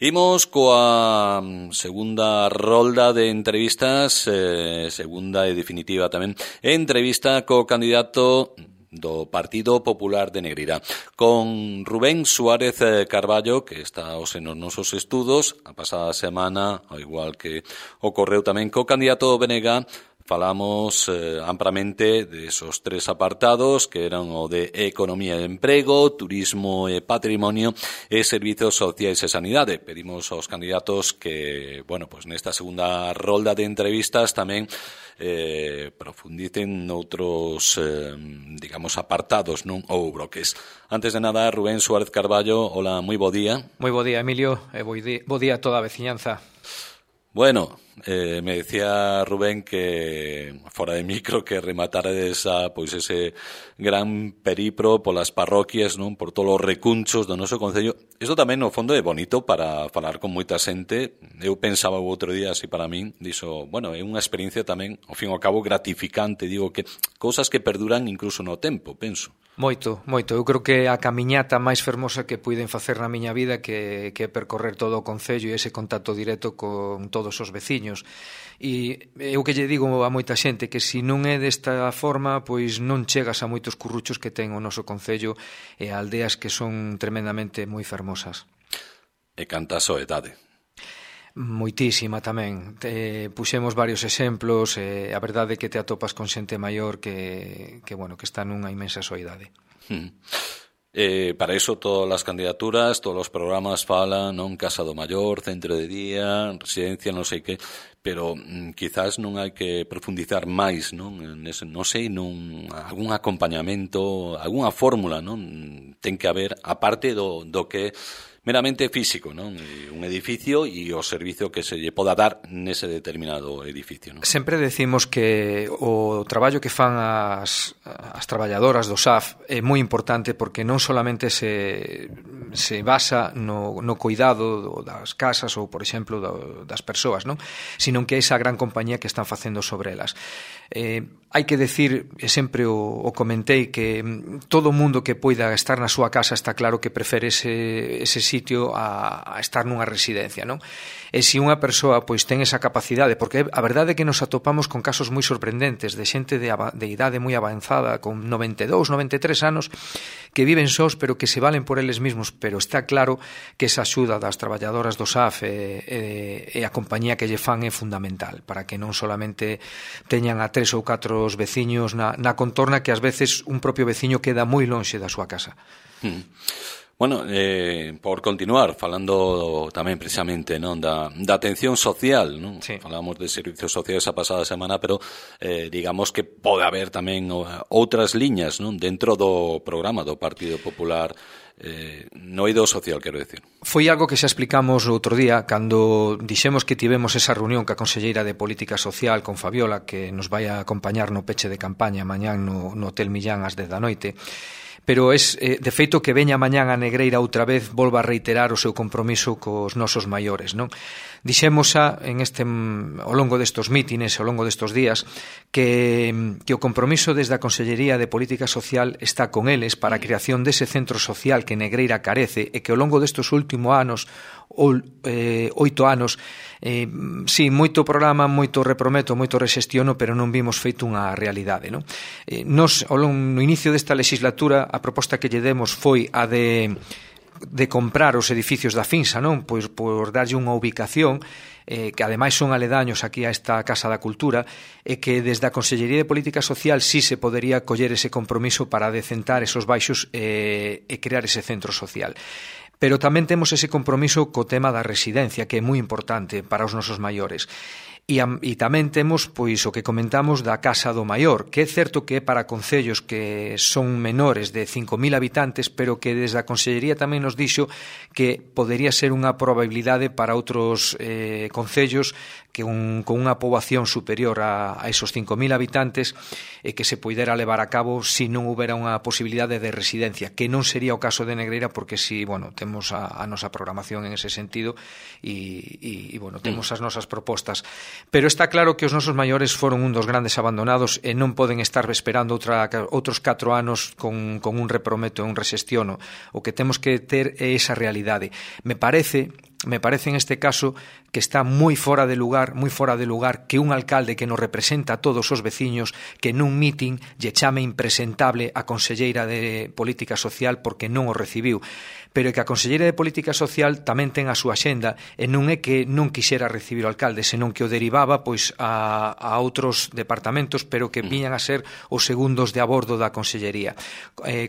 Imos coa segunda rolda de entrevistas, segunda e definitiva tamén, entrevista co candidato do Partido Popular de Negreira, con Rubén Suárez Carballo, que está hoxe nos nosos estudos. A pasada semana, ao igual que ocorreu tamén co candidato BNG, falamos amplamente de esos tres apartados que eran o de economía e emprego, turismo e patrimonio e servizos sociais e sanidade. Pedimos aos candidatos que, pues nesta segunda rolda de entrevistas tamén profundicen noutros, apartados, non, ou bloques. Antes de nada, Rubén Suárez Carballo, hola, moi bo día. Moi bo día, Emilio, e bo día a toda a veciñanza. Bueno, me decía Rubén que fora de micro que rematarades ese gran periplo polas parroquias, non, por todos os recunchos do noso concello. Isto tamén no fondo é bonito para falar con moita xente. Eu pensaba o outro día así para min, dixo, é unha experiencia tamén, ao fin e ao cabo, gratificante, digo que cousas que perduran incluso no tempo, penso. Moito. Eu creo que a camiñata máis fermosa que puiden facer na miña vida que percorrer todo o concello e ese contacto directo con todos os veciños. E eu que lle digo a moita xente que se non é desta forma, pois non chegas a moitos curruchos que ten o noso concello e a aldeas que son tremendamente moi fermosas. E canta a soedade. Moitísima tamén. Puxemos varios exemplos, a verdade é que te atopas con xente maior que está nunha inmensa soidade. Para iso todas as candidaturas, todos os programas falan, non, Casa do Maior, centro de día, residencia, non sei que, pero quizás non hai que profundizar máis, non, algún acompañamento, algunha fórmula, non, ten que haber, aparte do que meramente físico, non? Un edificio e o servizo que se lle poda dar nese determinado edificio, non? Sempre decimos que o traballo que fan as traballadoras do SAF é moi importante porque non solamente se basa no cuidado das casas ou, por exemplo, das persoas, non? Sino que é esa gran compañía que están facendo sobre elas. Hai que decir, e sempre o comentei, que todo mundo que poida estar na súa casa está claro que prefere ese sitio a estar nunha residencia, non? E se unha persoa pois ten esa capacidade, porque a verdade é que nos atopamos con casos moi sorprendentes de xente de idade moi avanzada, con 92, 93 anos, que viven sós, pero que se valen por eles mesmos, pero está claro que esa axuda das traballadoras do SAF e a compañía que lle fan é fundamental, para que non solamente teñan a 3 ou 4 os veciños na contorna, que ás veces un propio veciño queda moi lonxe da súa casa. Por continuar, falando tamén precisamente, non, da atención social, non? Sí. Falamos de servizos sociais a pasada semana, pero digamos que pode haber tamén outras liñas, non, dentro do programa do Partido Popular, no eido social, quero decir. Foi algo que xa explicamos outro día cando dixemos que tivemos esa reunión ca conselleira de Política Social con Fabiola, que nos vai a acompañar no peche de campaña mañán no Hotel Millán ás 10 da noite. Pero de feito que veña mañán a Negreira outra vez volva a reiterar o seu compromiso cos nosos maiores, non? Dixemos xa ao longo destos mítines, ao longo destos días, que o compromiso desde a Consellería de Política Social está con eles para a creación dese centro social que Negreira carece e que ao longo destos últimos anos, 8 anos, sí, moito programa, moito reprometo, moito rexestiono, pero non vimos feito unha realidade, non? Nos, no inicio desta legislatura, a proposta que lle demos foi a de comprar os edificios da Finsa, non? Pois por darlle unha ubicación que ademais son aledaños aquí a esta Casa da Cultura, e que desde a Consellería de Política Social sí se podería coller ese compromiso para decentar esos baixos e crear ese centro social. Pero tamén temos ese compromiso co tema da residencia, que é moi importante para os nosos maiores. E tamén temos pois o que comentamos da Casa do Maior, que é certo que é para concellos que son menores de 5.000 habitantes, pero que desde a Consellería tamén nos dixo que podería ser unha probabilidade para outros concellos que con unha poboación superior a esos 5.000 habitantes e que se poidera levar a cabo se non houbera unha posibilidade de residencia, que non sería o caso de Negreira, porque si, temos a nosa programación en ese sentido e temos as nosas propostas. Pero está claro que os nosos maiores foron un dos grandes abandonados e non poden estar esperando outros 4 anos con un reprometo e un resestiono. O que temos que ter é esa realidade. Me parece en este caso que está moi fora de lugar que un alcalde que nos representa a todos os veciños que nun mitin lle chame impresentable a conselleira de Política Social porque non o recibiu. Pero é que a conselleira de Política Social tamén ten a súa axenda e non é que non quixera recibir o alcalde, senón que o derivaba pois a outros departamentos, pero que viñan a ser os segundos de a bordo da consellería.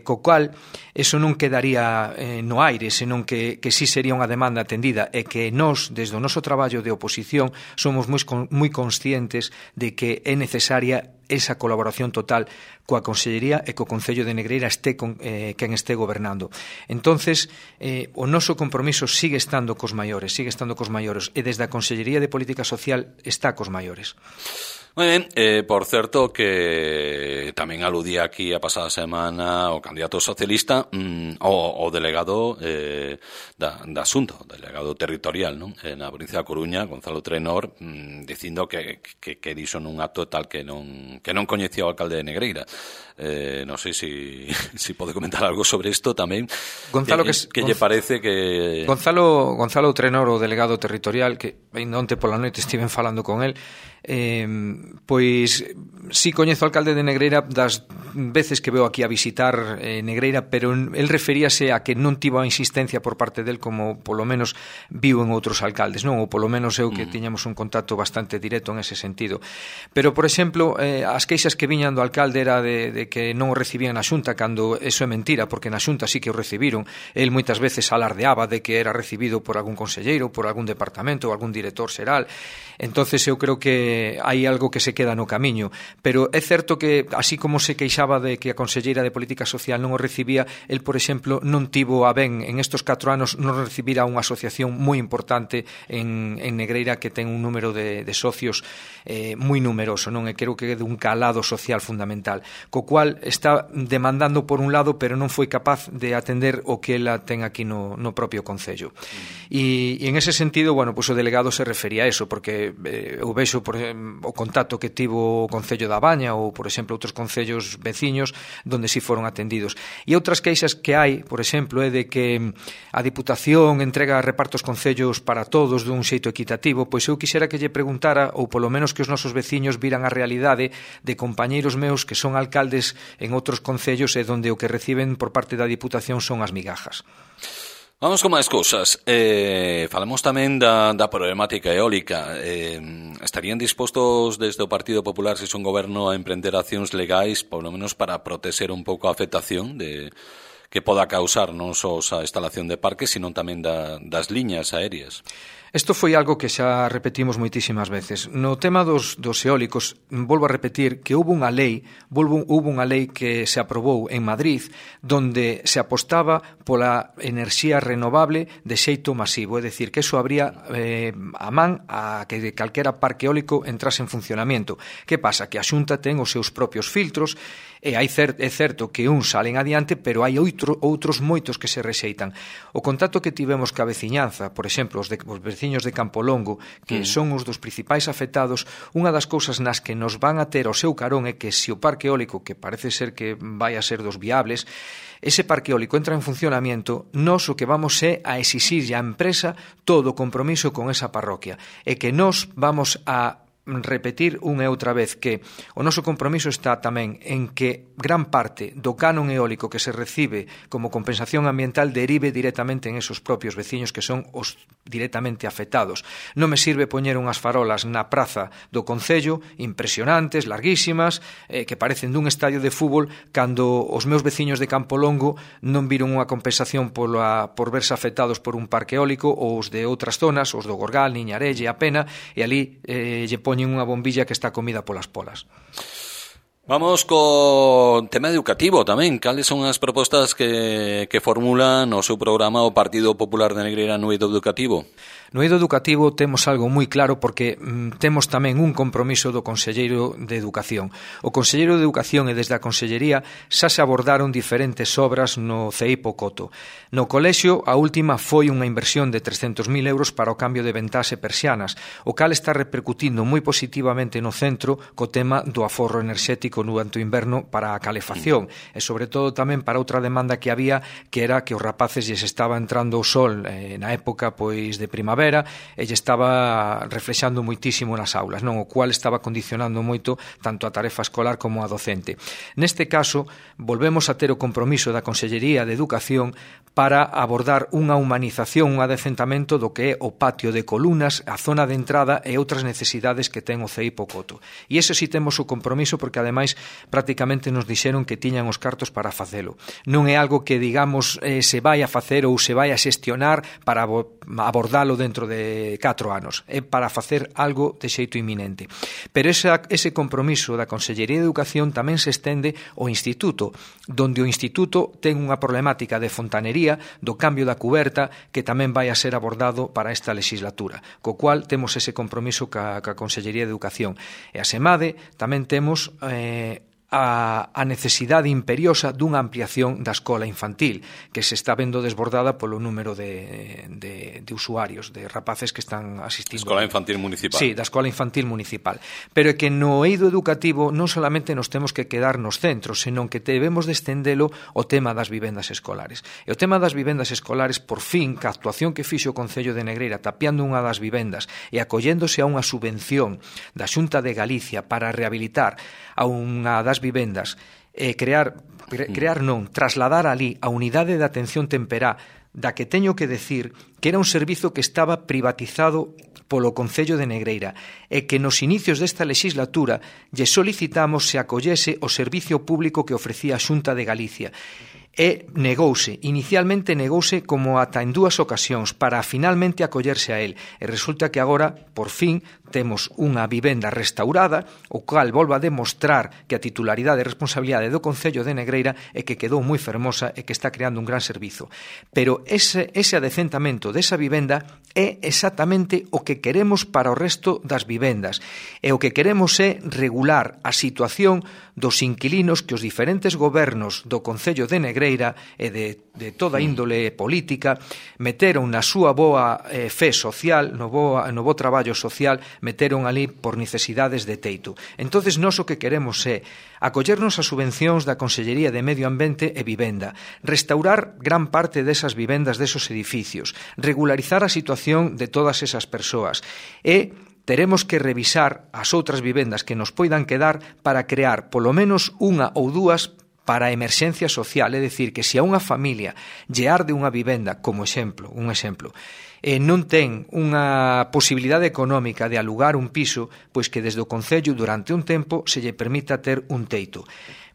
Co cual, eso non quedaría no aire, senón que sí sería unha demanda atendida e que nós, desde o noso traballo de oposición, somos moi conscientes de que é necesaria esa colaboración total coa Consellería e co Concello de Negreira este quen este gobernando. Entonces, o noso compromiso sigue estando cos maiores e desde a Consellería de Política Social está cos maiores. Moi ben, por certo que tamén aludía aquí a pasada semana o candidato socialista o delegado da Xunta, o delegado territorial, non? Na provincia da Coruña, Gonzalo Trenor, dicindo que dixo nun acto tal que non coñecía o alcalde de Negreira. Non sei se pode comentar algo sobre isto tamén. Gonzalo, que lle parece que... Gonzalo Trenor, o delegado territorial, que onte pola noite estiven falando con el, pois si coñezo o alcalde de Negreira das veces que veo aquí a visitar Negreira, pero el referíase a que non tivo a insistencia por parte del como polo menos viu en outros alcaldes, non? Ou polo menos eu que tiñamos un contacto bastante directo en ese sentido. Pero, por exemplo, as queixas que viñan do alcalde era de que non o recibían na Xunta, cando eso é mentira, porque na Xunta sí que o recibiron. El moitas veces alardeaba de que era recibido por algún conselleiro, por algún departamento ou algún director xeral. Entonces eu creo que hai algo que se queda no camiño, pero é certo que así como se queixaba de que a conselleira de Política Social non o recibía, el, por exemplo, non tivo a ben en estos 4 anos non recibir a unha asociación moi importante en Negreira que ten un número de socios moi numeroso, non? E creo que é dun calado social fundamental, co cual está demandando por un lado, pero non foi capaz de atender o que ela ten aquí no propio Concello. E en ese sentido, bueno, pues o delegado se refería a eso, porque eu vexo o contacto que tivo o Concello da Baña ou, por exemplo, outros concellos veciños donde si foron atendidos. E outras queixas que hai, por exemplo, é de que a Diputación entrega repartos concellos para todos dun xeito equitativo. Pois eu quixera que lle preguntara, ou polo menos que os nosos veciños viran a realidade de compañeiros meus que son alcaldes en outros concellos e donde o que reciben por parte da Diputación son as migajas. Vamos con máis cousas. Falamos tamén da problemática eólica. Estarían dispostos desde o Partido Popular, se son goberno, a emprender accións legais, por lo menos para proteger un pouco a afectación que poda causar non só a instalación de parques, sino tamén das liñas aéreas? Isto foi algo que xa repetimos moitísimas veces. No tema dos eólicos, volvo a repetir que houve unha lei que se aprobou en Madrid donde se apostaba pola enerxía renovable de xeito masivo, é dicir, que eso abría a man a que calquera parque eólico entrase en funcionamento. Que pasa? Que a Xunta ten os seus propios filtros e é certo que uns salen adiante, pero hai outros moitos que se rexeitan. O contacto que tivemos ca veciñanza, por exemplo, os veciños de Campolongo, que son os dos principais afectados, unha das cousas nas que nos van a ter ao seu carón é que se o parque eólico, que parece ser que vai a ser dos viables, ese parque eólico entra en funcionamento, nós o que vamos é a exixirlle á empresa todo o compromiso con esa parroquia, e que nós vamos a repetir unha e outra vez que o noso compromiso está tamén en que gran parte do canon eólico que se recibe como compensación ambiental derive directamente en esos propios veciños que son os directamente afectados. Non me sirve poñer unhas farolas na praza do Concello impresionantes, larguísimas, que parecen dun estadio de fútbol, cando os meus veciños de Campolongo non viron unha compensación por verse afectados por un parque eólico, ou os de outras zonas, os do Gorgal, Niñarelle, A Pena, e ali lle poñen unha bombilla que está comida polas polas. Vamos co tema educativo tamén. Cales son as propostas que formula no seu programa o Partido Popular de Negreira no eido educativo? No eido educativo temos algo moi claro porque temos tamén un compromiso do Conselleiro de Educación. O Conselleiro de Educación e desde a Consellería xa se abordaron diferentes obras no CEIPO Coto. No colexio, a última foi unha inversión de 300.000 euros para o cambio de ventás e persianas, o cal está repercutindo moi positivamente no centro co tema do aforro enerxético durante o inverno para a calefacción e sobre todo tamén para outra demanda que había, que era que os rapaces lles estaba entrando o sol na época pois de primavera e lle estaba reflexando moitísimo nas aulas, non, o cual estaba condicionando moito tanto a tarefa escolar como a docente. Neste caso, volvemos a ter o compromiso da Consellería de Educación para abordar unha humanización, un adecentamento do que é o patio de columnas, a zona de entrada e outras necesidades que ten o CEIPO Coto. E ese si temos o compromiso porque ademais prácticamente nos dixeron que tiñan os cartos para facelo. Non é algo que digamos se vai a facer ou se vai a xestionar para abordalo dentro de 4 anos. É para facer algo de xeito inminente. Pero ese compromiso da Consellería de Educación tamén se estende ao Instituto, donde o Instituto ten unha problemática de fontanería do cambio da cuberta que tamén vai a ser abordado para esta legislatura, co cual temos ese compromiso ca Consellería de Educación. E a SEMADE tamén temos a necesidade imperiosa dunha ampliación da escola infantil que se está vendo desbordada polo número de usuarios, de rapaces que están asistindo. Escola infantil municipal. Sí, da escola infantil municipal. Pero é que no eido educativo non solamente nos temos que quedar nos centros, senón que debemos de estendelo o tema das vivendas escolares. E o tema das vivendas escolares, por fin, que a actuación que fixo o Concello de Negreira tapiando unha das vivendas e acolléndose a unha subvención da Xunta de Galicia para rehabilitar a unha das vivendas e trasladar ali a unidade de atención temperá da que teño que decir que era un servizo que estaba privatizado polo Concello de Negreira e que nos inicios desta legislatura lle solicitamos se acollese o servicio público que ofrecía a Xunta de Galicia. Inicialmente negouse como ata en 2 ocasións para finalmente acollerse a él e resulta que agora, por fin, temos unha vivenda restaurada, o cal volva a demostrar que a titularidade e responsabilidade do Concello de Negreira é que quedou moi fermosa e que está creando un gran servizo. Pero ese adecentamento desa vivenda é exactamente o que queremos para o resto das vivendas e o que queremos é regular a situación dos inquilinos que os diferentes gobernos do Concello de Negreira e de toda índole política meteron na súa boa fe social, no bo traballo social, meteron ali por necesidades de teito. Entonces, nós o que queremos é acollernos a subvencións da Consellería de Medio Ambiente e Vivenda, restaurar gran parte desas vivendas desos edificios, regularizar a situación de todas esas persoas e teremos que revisar as outras vivendas que nos poidan quedar para crear polo menos unha ou 2 para a emerxencia social, é dicir, que se a unha familia lle arde unha vivenda, como un exemplo, non ten unha posibilidade económica de alugar un piso, pois que desde o Concello durante un tempo se lle permita ter un teito.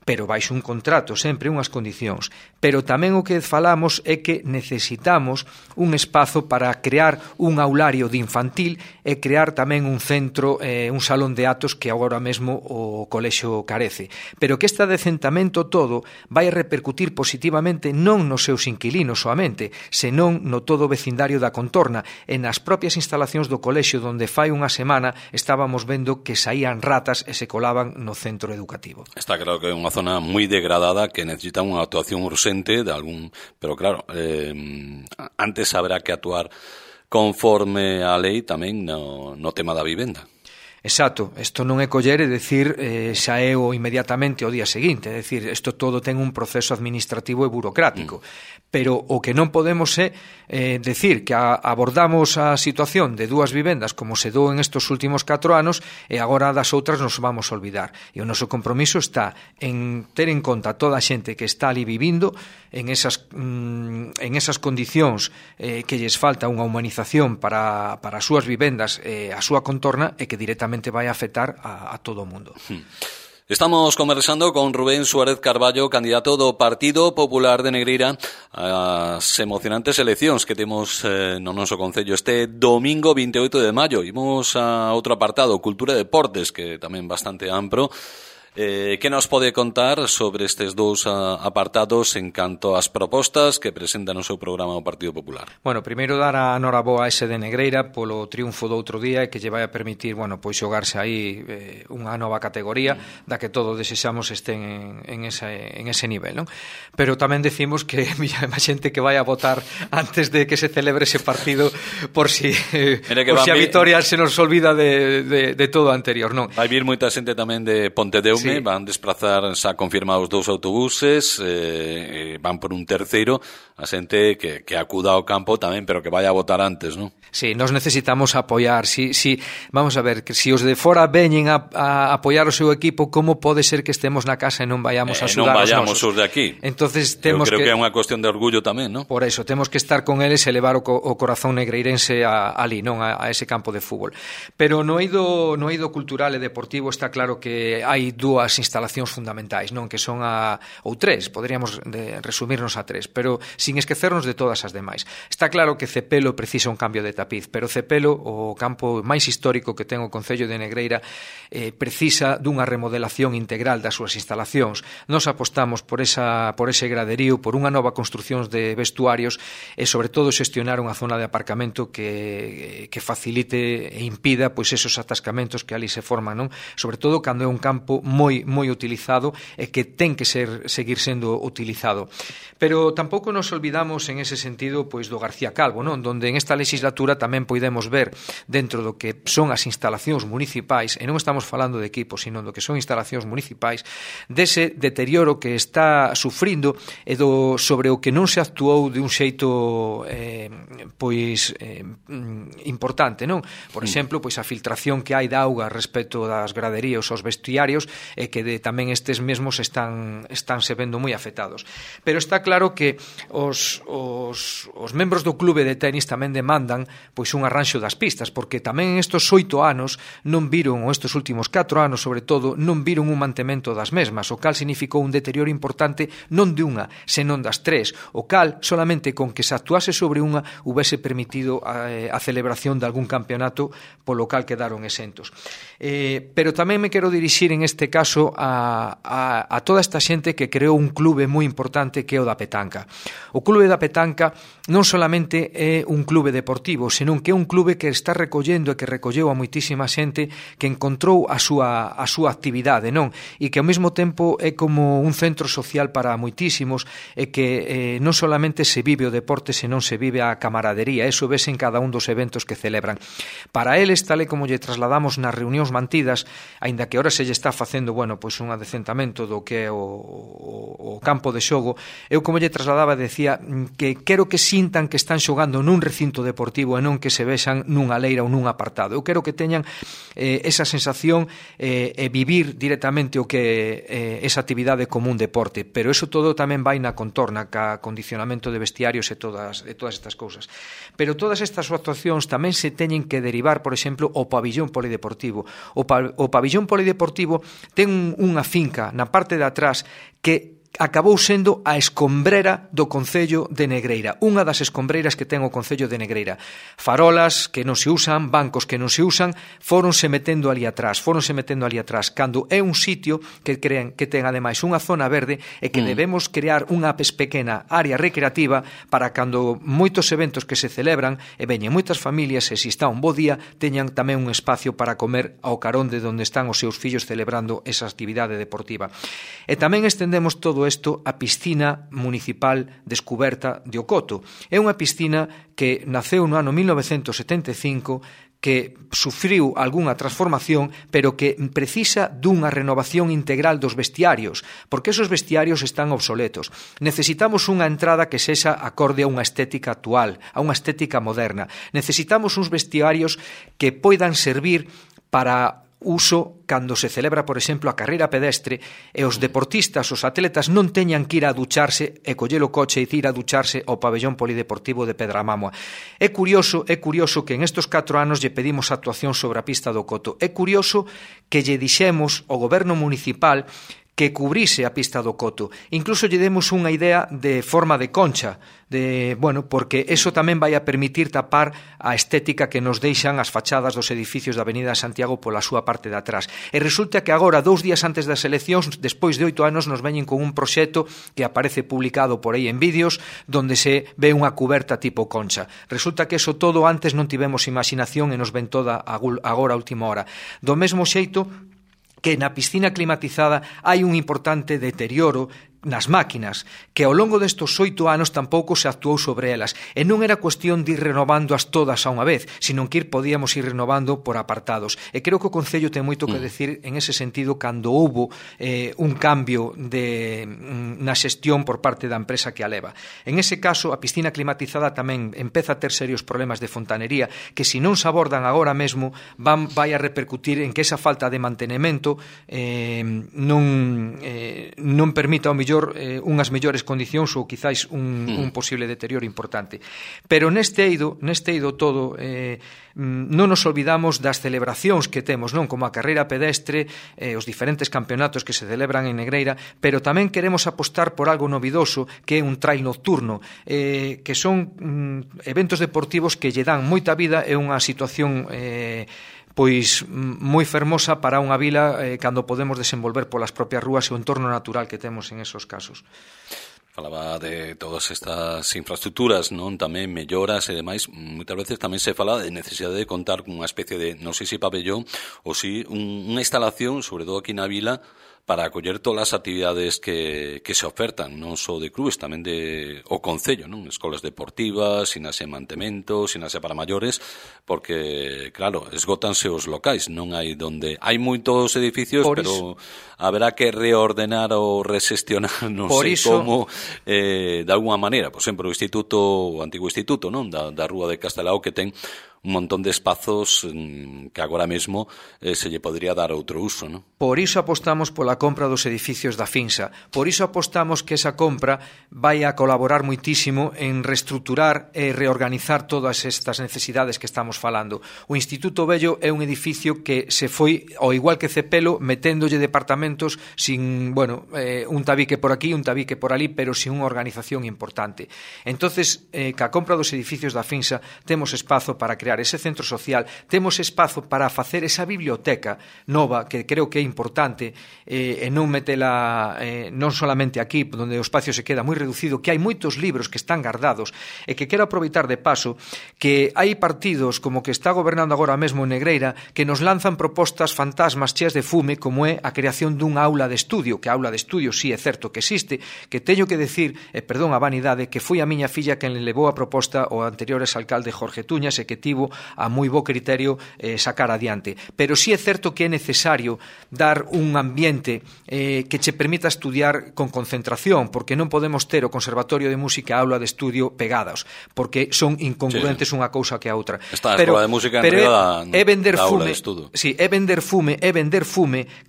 Pero baixo un contrato, sempre unhas condicións. Pero tamén o que falamos é que necesitamos un espazo para crear un aulario de infantil e crear tamén un centro, un salón de actos que agora mesmo o colexio carece. Pero que este adecentamento todo vai a repercutir positivamente non nos seus inquilinos soamente, senón no todo o vecindario da contorna e nas propias instalacións do colexio donde fai unha semana estábamos vendo que saían ratas e se colaban no centro educativo. Está claro que é unha zona moi degradada que necesita unha actuación urxente de algún, pero claro, antes habrá que actuar conforme a lei tamén no tema da vivenda. Exacto, isto non é coller e decir xa é o inmediatamente o día seguinte, é dicir, isto todo ten un proceso administrativo e burocrático, pero o que non podemos é decir que abordamos a situación de 2 vivendas como se dou en estos últimos 4 anos e agora das outras nos vamos a olvidar. E o noso compromiso está en ter en conta toda a xente que está ali vivindo en esas condicións que lles falta unha humanización para as súas vivendas e a súa contorna e que directamente vai a afectar a todo o mundo. Estamos conversando con Rubén Suárez Carballo, candidato do Partido Popular de Negreira ás emocionantes eleccións que temos no noso concello este domingo 28 de maio. Imos a outro apartado, Cultura e Deportes, que tamén bastante amplo. Que nos pode contar sobre estes dous apartados en canto ás propostas que presenta no seu programa o Partido Popular? Bueno, primeiro dar a noraboa a ese de Negreira polo triunfo do outro día e que lle vai a permitir, bueno, pois xogarse aí unha nova categoría da que todos desexamos estén en ese nivel, non? Pero tamén decimos que a xente que vai a votar antes de que se celebre ese partido por si a vitoria se nos olvida de todo o anterior, non? Vai vir moita xente tamén de Pontedeume, sí. Van desplazar, xa confirmados 2 autobuses, van por un terceiro, a xente que acuda ao campo tamén, pero que vaya a votar antes, non? Sí, nos necesitamos apoiar. Vamos a ver, que si os de fora veñen a apoiar o seu equipo, como pode ser que estemos na casa e non vayamos a axudar os nosos? Non vayamos os de aquí. Entonces, eu creo que é unha cuestión de orgullo tamén, non? Por eso, temos que estar con eles e levar o corazón negreirense ali, non a ese campo de fútbol. Pero no eido cultural e deportivo está claro que hai dúas instalacións fundamentais, non, que son ou tres, poderíamos resumirnos a tres, pero sin esquecernos de todas as demais. Está claro que Cepelo precisa un cambio de tapiz, pero Cepelo, o campo máis histórico que ten o Concello de Negreira, precisa dunha remodelación integral das súas instalacións. Nos apostamos por ese graderío, por unha nova construción de vestuarios e, sobre todo, xestionar unha zona de aparcamento que facilite e impida pois esos atascamentos que ali se forman, non? Sobre todo cando é un campo moi utilizado e que ten que seguir sendo utilizado. Pero tampouco nos olvidamos en ese sentido pois do García Calvo, non? Donde en esta legislatura tamén podemos ver dentro do que son as instalacións municipais, e non estamos falando de equipos, sino do que son instalacións municipais, dese deterioro que está sufrindo e sobre o que non se actuou de un xeito importante, non? Por exemplo, pois a filtración que hai de auga respecto das graderías aos vestiarios e que tamén estes mesmos están se vendo moi afectados. Pero está claro que os membros do clube de tenis tamén demandan pois un arranxo das pistas, porque tamén estes 8 anos non viron, ou estes últimos 4 anos sobre todo, non viron un mantemento das mesmas, o cal significou un deterioro importante non de unha, senón das 3, o cal solamente con que se actuase sobre unha houvese permitido a celebración de algún campeonato polo cal quedaron exentos. Pero tamén me quero dirixir en este caso a toda esta xente que creou un clube moi importante que é o da petanca. O clube da petanca non solamente é un clube deportivo, senón que é un clube que está recollendo e que recolleu a moitísima xente que encontrou a súa actividade, non? E que ao mesmo tempo é como un centro social para moitísimos e que non solamente se vive o deporte, senón se vive a camaradería. Eso ves en cada un dos eventos que celebran. Para eles, tal e como lle trasladamos nas reunións mantidas, aínda que ahora se lle está facendo, bueno, pois un adecentamento do que é o campo de xogo, eu como lle trasladaba decía que quero que sintan que están xogando nun recinto deportivo e non que se vexan nunha leira ou nun apartado. Eu quero que teñan esa sensación e vivir directamente o que é esa actividade como un deporte, pero eso todo tamén vai na contorna, ca condicionamento de vestiarios e todas estas cousas. Pero todas estas actuacións tamén se teñen que derivar, por exemplo, ao pabillón polideportivo. O pabillón polideportivo ten unha finca na parte de atrás que acabou sendo a escombrera do Concello de Negreira, unha das escombreiras que ten o Concello de Negreira. Farolas que non se usan, bancos que non se usan, fóronse metendo ali atrás, cando é un sitio que ten ademais unha zona verde e que debemos crear unha pequena área recreativa para cando moitos eventos que se celebran e veñen moitas familias e se está un bo día, teñan tamén un espacio para comer ao carón de onde están os seus fillos celebrando esa actividade deportiva. E tamén estendemos todo isto a piscina municipal descuberta de Ocoto. É unha piscina que naceu no ano 1975, que sufriu algunha transformación, pero que precisa dunha renovación integral dos vestiarios, porque esos vestiarios están obsoletos. Necesitamos unha entrada que sexa acorde a unha estética actual, a unha estética moderna. Necesitamos uns vestiarios que poidan servir para uso cando se celebra, por exemplo, a carreira pedestre e os deportistas, os atletas non teñan que ir a ducharse e coller o coche e ir a ducharse ao pabellón polideportivo de Pedramamua. É curioso que en estes 4 anos lle pedimos actuación sobre a pista do Coto. É curioso que lle dixemos ao goberno municipal que cubrise a pista do Coto. Incluso lle demos unha idea de forma de concha, porque eso tamén vai a permitir tapar a estética que nos deixan as fachadas dos edificios da Avenida de Santiago pola súa parte de atrás. E resulta que agora, 2 días antes das eleccións, despois de 8 anos, nos veñen con un proxecto que aparece publicado por aí en vídeos, donde se ve unha cuberta tipo concha. Resulta que eso todo antes non tivemos imaginación e nos ven toda agora a última hora. Do mesmo xeito que na piscina climatizada hai un importante deterioro nas máquinas, que ao longo destos 8 anos tampouco se actuou sobre elas, e non era cuestión de ir renovándoas todas a unha vez, sino que podíamos ir renovando por apartados. E creo que o Concello ten moito que decir en ese sentido cando houbo un cambio na xestión por parte da empresa que a leva. En ese caso, a piscina climatizada tamén empeza a ter serios problemas de fontanería que, se non se abordan agora mesmo, vai a repercutir en que esa falta de mantenimento non permita ao mellor unhas mellores condicións ou quizáis un posible deterioro importante. Pero neste eido todo non nos olvidamos das celebracións que temos, non, como a carreira pedestre, os diferentes campeonatos que se celebran en Negreira, pero tamén queremos apostar por algo novidoso, que é un trail nocturno, que son eventos deportivos que lle dan moita vida e unha situación pois moi fermosa para unha vila cando podemos desenvolver polas propias rúas e o entorno natural que temos en esos casos. Falaba de todas estas infraestructuras, non, tamén melloras e demais. Moitas veces tamén se fala de necesidade de contar con unha especie de, non sei se pabellón ou si unha instalación, sobre todo aquí na vila, para acoller todas as actividades que se ofertan, non só de clubes, tamén de o Concello, non? Escolas deportivas, sinase mantemento, sinase para maiores, porque, claro, esgótanse os locais, non hai donde... Hai moitos edificios, pero haberá que reordenar ou resestionar, non sei como, de alguma maneira. Por exemplo, o antigo instituto, non? Da Rúa de Castelao, que ten un montón de espazos que agora mesmo se lle podría dar outro uso, non? Por iso apostamos pola compra dos edificios da Finsa. Por iso apostamos que esa compra vai a colaborar moitísimo en reestruturar e reorganizar todas estas necesidades que estamos falando. O Instituto Vello é un edificio que se foi, ao igual que Cepelo, meténdolle departamentos sin, un tabique por aquí, un tabique por ali, pero sin unha organización importante. Entonces, ca compra dos edificios da Finsa temos espazo para crear ese centro social, temos espazo para facer esa biblioteca nova que creo que é importante e non metela non solamente aquí, onde o espacio se queda moi reducido, que hai moitos libros que están guardados e que quero aproveitar de paso que hai partidos como que está gobernando agora mesmo en Negreira que nos lanzan propostas fantasmas cheas de fume, como é a creación dunha aula de estudio, que a aula de estudio sí é certo que existe, que teño que decir, perdón a vanidade, que foi a miña filla quen le levou a proposta ao anterior exalcalde Jorge Tuñas e que tivo a moi bo criterio sacar adiante. Pero sí é certo que é necesario dar un ambiente que che permita estudiar con concentración, porque non podemos ter o Conservatorio de Música e a aula de estudio pegados, porque son incongruentes unha cousa que a outra. Está a Escola de Música en riba da aula de estudo. Sí, é vender fume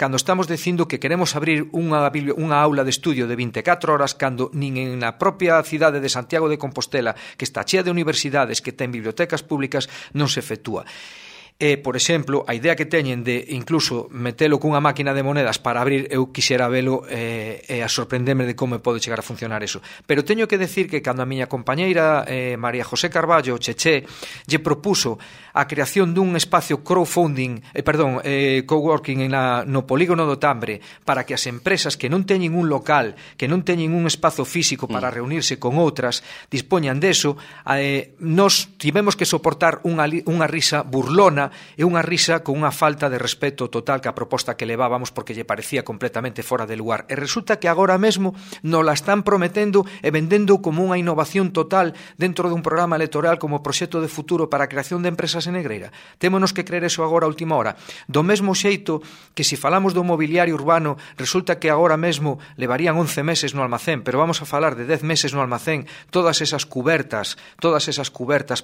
cando estamos dicindo que queremos abrir unha aula de estudio de 24 horas cando nin en a propia cidade de Santiago de Compostela, que está chea de universidades, que ten bibliotecas públicas, non se efectúa. Por exemplo, a idea que teñen de incluso metelo cunha máquina de monedas para abrir, eu quixera velo e a sorprenderme de como pode chegar a funcionar eso. Pero teño que decir que cando a miña compañeira María José Carballo, Cheché, lle propuso a creación dun espacio coworking no polígono do Tambre para que as empresas que non teñen un local, que non teñen un espazo físico para reunirse con outras, dispoñan deso, nos tivemos que soportar unha risa burlona e unha risa con unha falta de respeto total que a proposta que levábamos porque lle parecía completamente fora de lugar. E resulta que agora mesmo nos la están prometendo e vendendo como unha innovación total dentro dun programa electoral como proxecto de futuro para a creación de empresas en Negreira. Témonos que creer eso agora a última hora. Do mesmo xeito que se falamos do mobiliario urbano, resulta que agora mesmo levarían 11 meses no almacén, pero vamos a falar de 10 meses no almacén, todas esas cubertas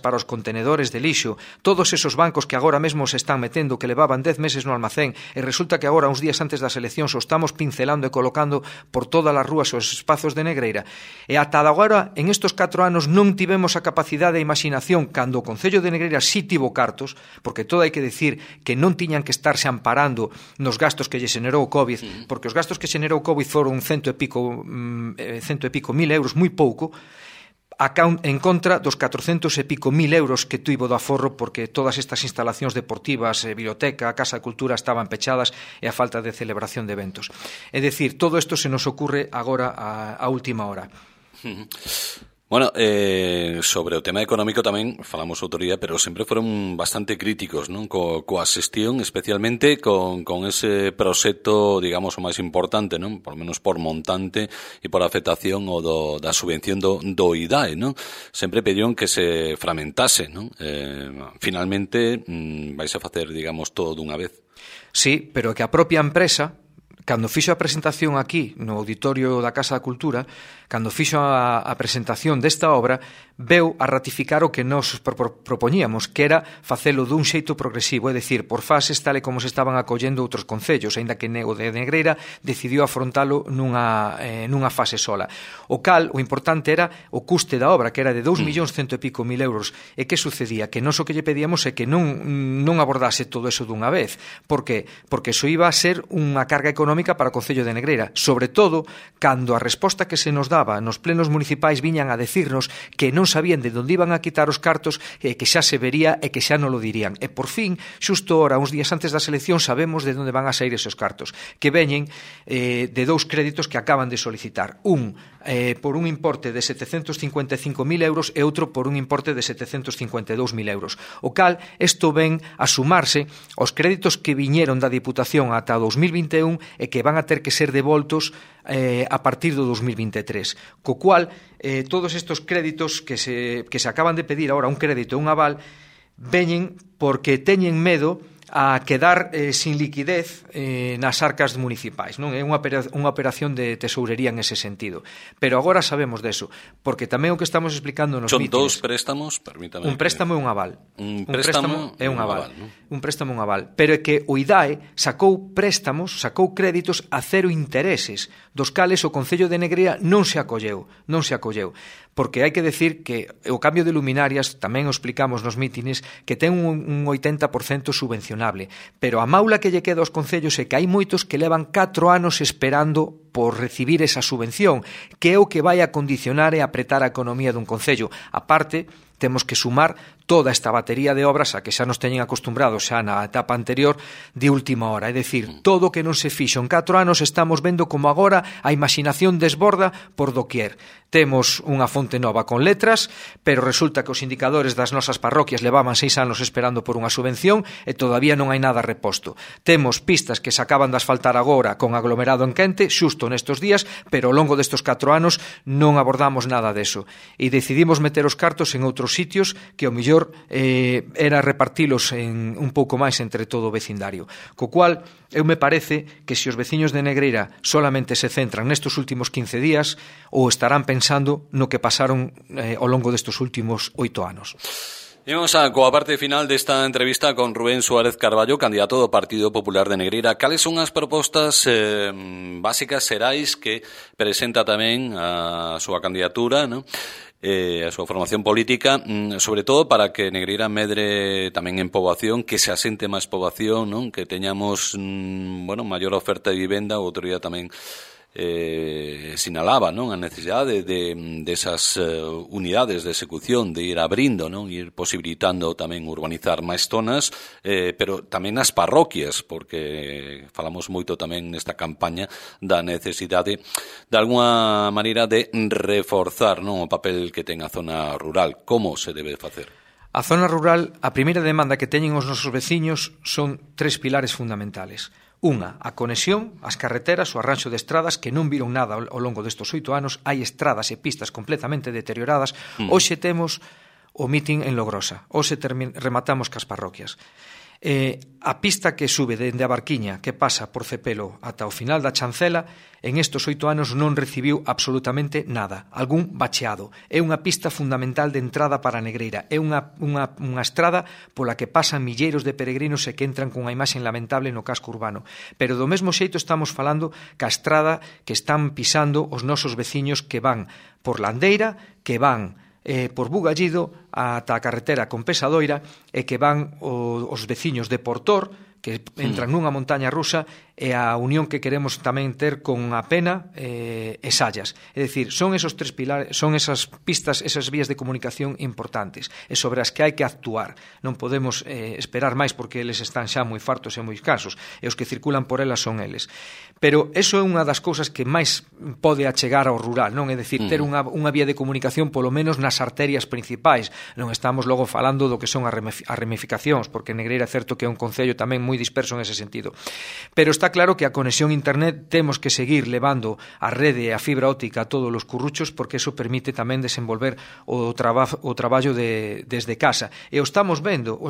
para os contenedores de lixo, todos esos bancos que agora agora mesmo se están metendo, que levaban 10 meses no almacén, e resulta que agora, uns días antes das eleccións, o estamos pincelando e colocando por todas as rúas os espazos de Negreira. E ata agora, en estes 4 anos, non tivemos a capacidade e imaginación, cando o Concello de Negreira sí tivo cartos, porque todo hai que decir que non tiñan que estarse amparando nos gastos que lle xenerou o COVID, porque os gastos que xenerou o COVID foron cento e pico mil euros, moi pouco, en contra dos 400 e pico mil euros que tuvo do aforro, porque todas estas instalacións deportivas, biblioteca, Casa de Cultura estaban pechadas e a falta de celebración de eventos. É dicir, todo isto se nos ocurre agora a última hora. Bueno, sobre o tema económico tamén falamos outro día, pero sempre foron bastante críticos, non? Coa xestión, especialmente con ese proxecto, digamos, o máis importante, non? Por menos por montante e por afectación o da subvención do IDAE, non? Sempre pediron que se fragmentase, non? Finalmente vais a facer, digamos, todo dunha vez. Sí, pero que a propia empresa, cando fixo a presentación aquí no auditorio da Casa da Cultura, cando fixo a presentación desta obra, veu a ratificar o que nos propoñíamos, que era facelo dun xeito progresivo, é dicir, por fases tal e como se estaban acollendo outros concellos, aínda que o de Negreira decidiu afrontalo nunha fase sola. O cal, o importante era o custe da obra, que era de 2.100.000 e pico mil euros. E que sucedía? Que nós o que lle pedíamos é que non abordase todo eso dunha vez. Por que? Porque iso iba a ser unha carga económica para o Concello de Negreira, sobre todo cando a resposta que se nos daba nos plenos municipais viñan a decirnos que non sabían de onde iban a quitar os cartos, que xa se vería e que xa non lo dirían. E por fin, xusto ahora, uns días antes das eleccións, sabemos de onde van a sair esos cartos, que veñen de 2 créditos que acaban de solicitar. Un por un importe de 755.000 euros e outro por un importe de 752.000 euros. O cal, isto ven a sumarse aos créditos que viñeron da Diputación ata 2021 e que van a ter que ser devoltos a partir do 2023. Co cual, todos estes créditos que se acaban de pedir agora, un crédito e un aval, veñen porque teñen medo a quedar sin liquidez nas arcas municipais, non? É unha operación de tesourería en ese sentido. Pero agora sabemos deso, porque tamén o que estamos explicando nos mítines... Son 2 préstamos, permítame... Un préstamo e un aval. Un préstamo e un aval. Un préstamo e un aval. Pero é que o IDAE sacou créditos a cero intereses, dos cales o Concello de Negreira non se acolleu. Porque hai que decir que o cambio de luminarias, tamén o explicamos nos mítines, que ten un 80% subvencionable, pero a maula que lle queda aos concellos é que hai moitos que levan 4 anos esperando por recibir esa subvención, que é o que vai a condicionar e apretar a economía dun concello. A parte, temos que sumar toda esta batería de obras a que xa nos teñen acostumbrados xa na etapa anterior de última hora. É dicir, todo o que non se fixo en 4 anos estamos vendo como agora a imaginación desborda por doquier. Temos unha fonte nova con letras, pero resulta que os indicadores das nosas parroquias levaban 6 anos esperando por unha subvención e todavía non hai nada reposto. Temos pistas que se acaban de asfaltar agora con aglomerado en quente, xusto nestes días, pero ao longo destes 4 anos non abordamos nada deso. E decidimos meter os cartos en outros sitios que ao mellor era repartilos en un pouco máis entre todo o vecindario. Co cual, eu me parece que se os veciños de Negreira solamente se centran nestes últimos 15 días ou estarán pensando no que pasaron ao longo destes últimos 8 anos. E vamos a coa parte final desta entrevista con Rubén Suárez Carballo, candidato do Partido Popular de Negreira. Cales son as propostas básicas xerais que presenta tamén a súa candidatura, non? A súa formación política, sobre todo para que Negreira medre tamén en poboación, que se asente máis poboación, non? Que teñamos maior oferta de vivenda. Outro día tamén sinalaba, non? A necesidade de esas unidades de execución, de ir abrindo, non? Ir posibilitando tamén urbanizar máis zonas, pero tamén as parroquias, porque falamos moito tamén nesta campaña da necesidade de alguna maneira de reforzar, non? O papel que ten a zona rural. Como se debe facer? A zona rural, a primeira demanda que teñen os nosos veciños son 3 pilares fundamentales. Unha, a conexión, as carreteras, o arranxo de estradas que non viron nada ao longo destes 8 anos. Hai estradas e pistas completamente deterioradas. Hoxe temos o mitin en Logrosa. Hoxe rematamos cas parroquias. A pista que sube dende a Barquiña, que pasa por Cepelo ata o final da Chancela, en estes 8 anos non recibiu absolutamente nada, algún bacheado. É unha pista fundamental de entrada para a Negreira, é unha estrada pola que pasan milleiros de peregrinos e que entran cunha imaxe lamentable no casco urbano. Pero do mesmo xeito estamos falando ca estrada que están pisando os nosos veciños que van por Landeira, que van por Bugallido ata a carretera con Pesadoira e que van os veciños de Portor, que entran nunha montaña rusa, e a unión que queremos tamén ter con a Pena e Sallas. É dicir, son esos 3 pilares, son esas pistas, esas vías de comunicación importantes e sobre as que hai que actuar. Non podemos esperar máis porque eles están xa moi fartos e moi cansos e os que circulan por elas son eles. Pero eso é unha das cousas que máis pode achegar ao rural, non? É dicir, ter unha vía de comunicación polo menos nas arterias principais. Non estamos logo falando do que son as ramificacións, porque Negreira é certo que é un concello tamén moi disperso en ese sentido. Pero está claro que a conexión internet temos que seguir levando a rede e a fibra óptica a todos os curruchos, porque eso permite tamén desenvolver o traballo desde casa. E o estamos vendo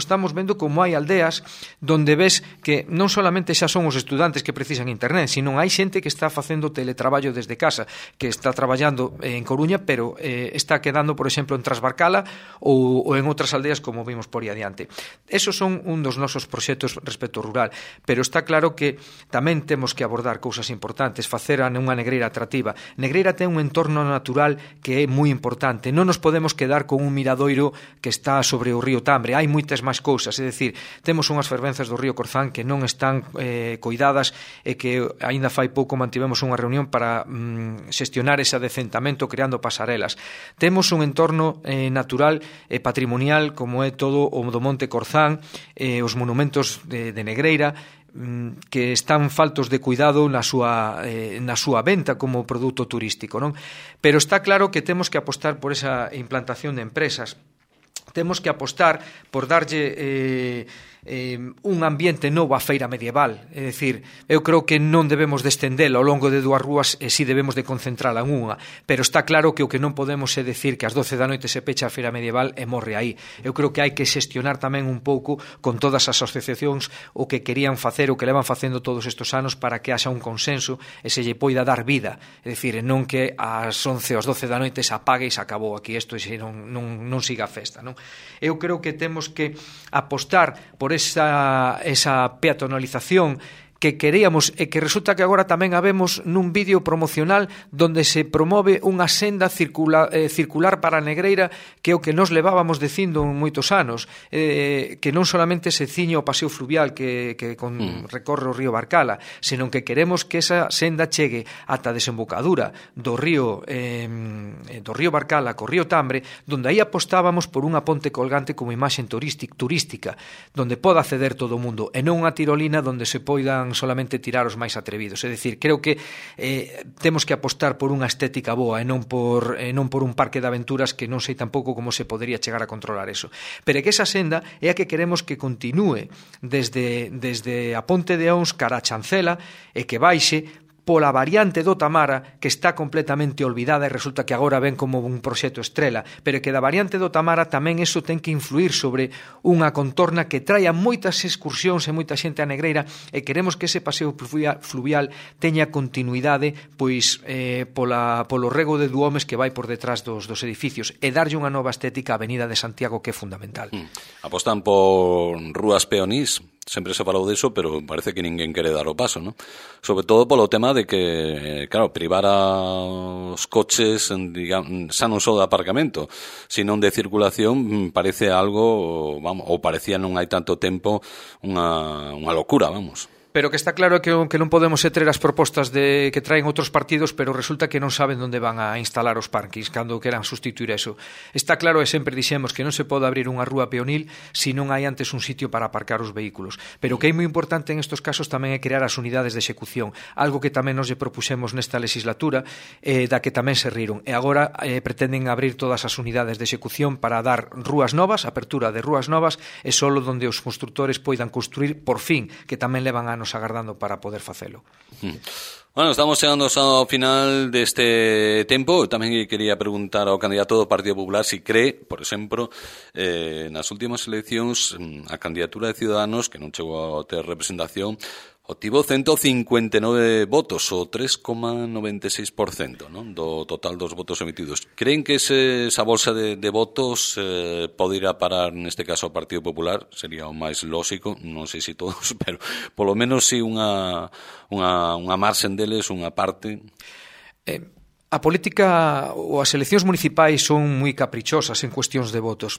como hai aldeas donde ves que non solamente xa son os estudantes que precisan internet, sino hai xente que está facendo teletraballo desde casa, que está traballando en Coruña, pero está quedando, por exemplo, en Trasbarcala ou en outras aldeas como vimos por aí adiante. Esos son un dos nosos proxectos respecto ao rural, pero está claro que tamén temos que abordar cousas importantes, facer unha Negreira atractiva. Negreira ten un entorno natural que é moi importante. Non nos podemos quedar con un miradoiro que está sobre o río Tambre. Hai moitas máis cousas, é dicir, temos unhas fervenzas do río Corzán que non están coidadas e que aínda fai pouco mantivemos unha reunión para xestionar ese adecentamento creando pasarelas. Temos un entorno natural e patrimonial como é todo o do Monte Corzán, os monumentos de Negreira, que están faltos de cuidado na súa venta como produto turístico, non? Pero está claro que temos que apostar por esa implantación de empresas. Temos que apostar por darlle un ambiente novo á feira medieval. É dicir, eu creo que non debemos de estendela ao longo de 2 rúas e si debemos de concentrala en unha, pero está claro que o que non podemos é decir que ás 12 da noite se pecha a feira medieval e morre aí. Eu creo que hai que xestionar tamén un pouco con todas as asociacións o que querían facer, o que levan facendo todos estes anos para que haxa un consenso e se lle poida dar vida. É dicir, non que ás 11 ou ás 12 da noite se apague e se acabou aquí isto e non siga a festa, non? Eu creo que temos que apostar por esa peatonalización que queríamos e que resulta que agora tamén habemos nun vídeo promocional donde se promove unha senda circular para a Negreira, que é o que nos levábamos dicindo en moitos anos, que non solamente se ciñe o paseo fluvial que recorre o río Barcala, senón que queremos que esa senda chegue ata a desembocadura do río Barcala co río Tambre, donde aí apostábamos por unha ponte colgante como imaxe turística, donde poda acceder todo o mundo, e non unha tirolina donde se poidan solamente tirar os máis atrevidos. É dicir, creo que temos que apostar por unha estética boa e non por un parque de aventuras que non sei tampouco como se podería chegar a controlar eso. Pero é que esa senda é a que queremos que continúe desde a Ponte de Ons cara a Chancela e que baixe pola variante do Tamara, que está completamente olvidada e resulta que agora ven como un proxecto estrela, pero que da variante do Tamara tamén eso ten que influir sobre unha contorna que traia moitas excursións e moita xente a Negreira, e queremos que ese paseo fluvial teña continuidade pois polo rego de Duomes que vai por detrás dos edificios e darlle unha nova estética á Avenida de Santiago, que é fundamental. Apostan por rúas peonís. Sempre se falou diso, pero parece que ninguén quere dar o paso, ¿no? Sobre todo polo tema de que, claro, privar aos coches, digamos, xa non só de aparcamento, sino de circulación, parece algo, vamos, ou parecía non hai tanto tempo unha locura, vamos. Pero que está claro que non podemos ter as propostas que traen outros partidos, pero resulta que non saben onde van a instalar os parkings cando queran sustituir eso. Está claro, e sempre dixemos que non se pode abrir unha rúa peonil se non hai antes un sitio para aparcar os vehículos. Pero o que é moi importante en estos casos tamén é crear as unidades de execución, algo que tamén nos lle propuxemos nesta legislatura, da que tamén se riron. E agora pretenden abrir todas as unidades de execución para dar rúas novas, apertura de rúas novas, e solo donde os constructores poidan construir por fin, que tamén levan anos agardando para poder facelo. Bueno, estamos chegando ao final deste tempo. Tamén quería preguntar ao candidato do Partido Popular si cree, por exemplo, nas últimas eleccións a candidatura de Ciudadanos, que non chegou a ter representación, obtivo 159 votos, o 3,96%, non, do total dos votos emitidos. Creen que esa bolsa de votos pode ir a parar, neste caso, ao Partido Popular? Sería o máis lóxico, non sei se todos, pero polo menos si unha marxen deles, unha parte. A política ou as eleccións municipais son moi caprichosas en cuestións de votos.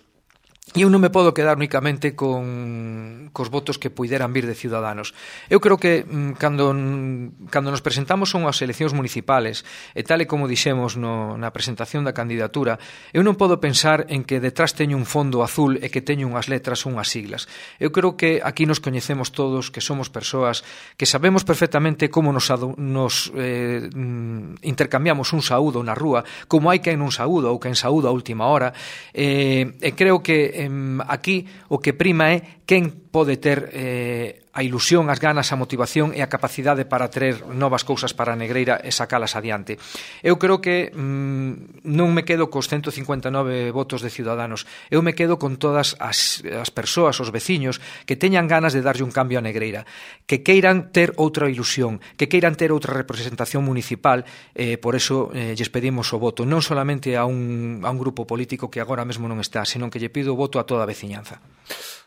E eu non me podo quedar únicamente cos votos que puideran vir de Ciudadanos. Eu creo que cando nos presentamos son as eleccións municipales, e tal e como dixemos na presentación da candidatura, eu non podo pensar en que detrás teño un fondo azul e que teño unhas letras ou unhas siglas. Eu creo que aquí nos coñecemos todos, que somos persoas que sabemos perfectamente como nos intercambiamos un saúdo na rúa, como hai quen non saúda ou quen saúda a última hora, e creo que aquí o que prima é quen pode ter a ilusión, as ganas, a motivación e a capacidade para traer novas cousas para a Negreira e sacalas adiante. Eu creo que non me quedo cos 159 votos de Ciudadanos, eu me quedo con todas as persoas, os veciños, que teñan ganas de darlle un cambio a Negreira, que queiran ter outra ilusión, que queiran ter outra representación municipal, por eso lles pedimos o voto, non solamente a un grupo político que agora mesmo non está, senón que lle pido o voto a toda a veciñanza.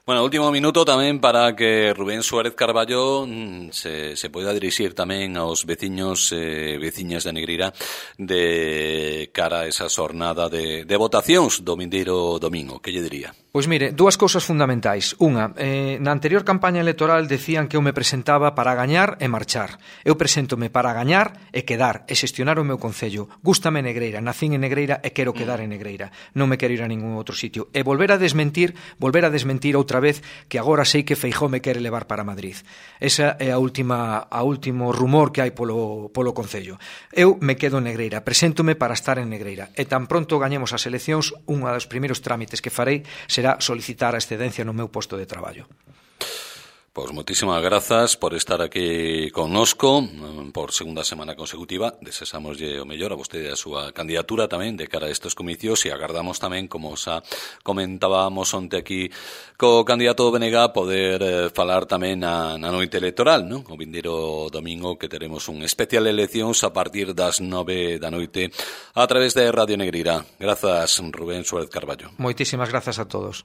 Bueno, último minuto tamén para que Rubén Suárez Carballo se poida dirixir tamén aos veciños e veciñas de Negreira de cara a esa xornada de votacións do vindeiro domingo. Que lle diría? Pois mire, dúas cousas fundamentais. Unha, na anterior campaña electoral decían que eu me presentaba para gañar e marchar. Eu preséntome para gañar e quedar e xestionar o meu concello. Gústame Negreira, nacín en Negreira e quero quedar en Negreira. Non me quero ir a ningún outro sitio. E volver a desmentir outra vez que agora sei que Feijóo me quere levar para Madrid. Esa é a último rumor que hai polo concello. Eu me quedo en Negreira, preséntome para estar en Negreira. E tan pronto gañemos as eleccións, un dos primeiros trámites que farei será solicitar a excedencia no meu posto de traballo. Pois moitísimas grazas por estar aquí connosco por segunda semana consecutiva. Deseámoslle o mellor a vostede a súa candidatura tamén de cara a estes comicios e agardamos tamén, como xa comentábamos onte aquí co candidato do BNG, poder falar tamén na noite electoral, non? O vindeiro domingo, que teremos un especial eleccións a partir das 9 da noite a través de Radio Negreira. Grazas, Rubén Suárez Carballo. Moitísimas grazas a todos.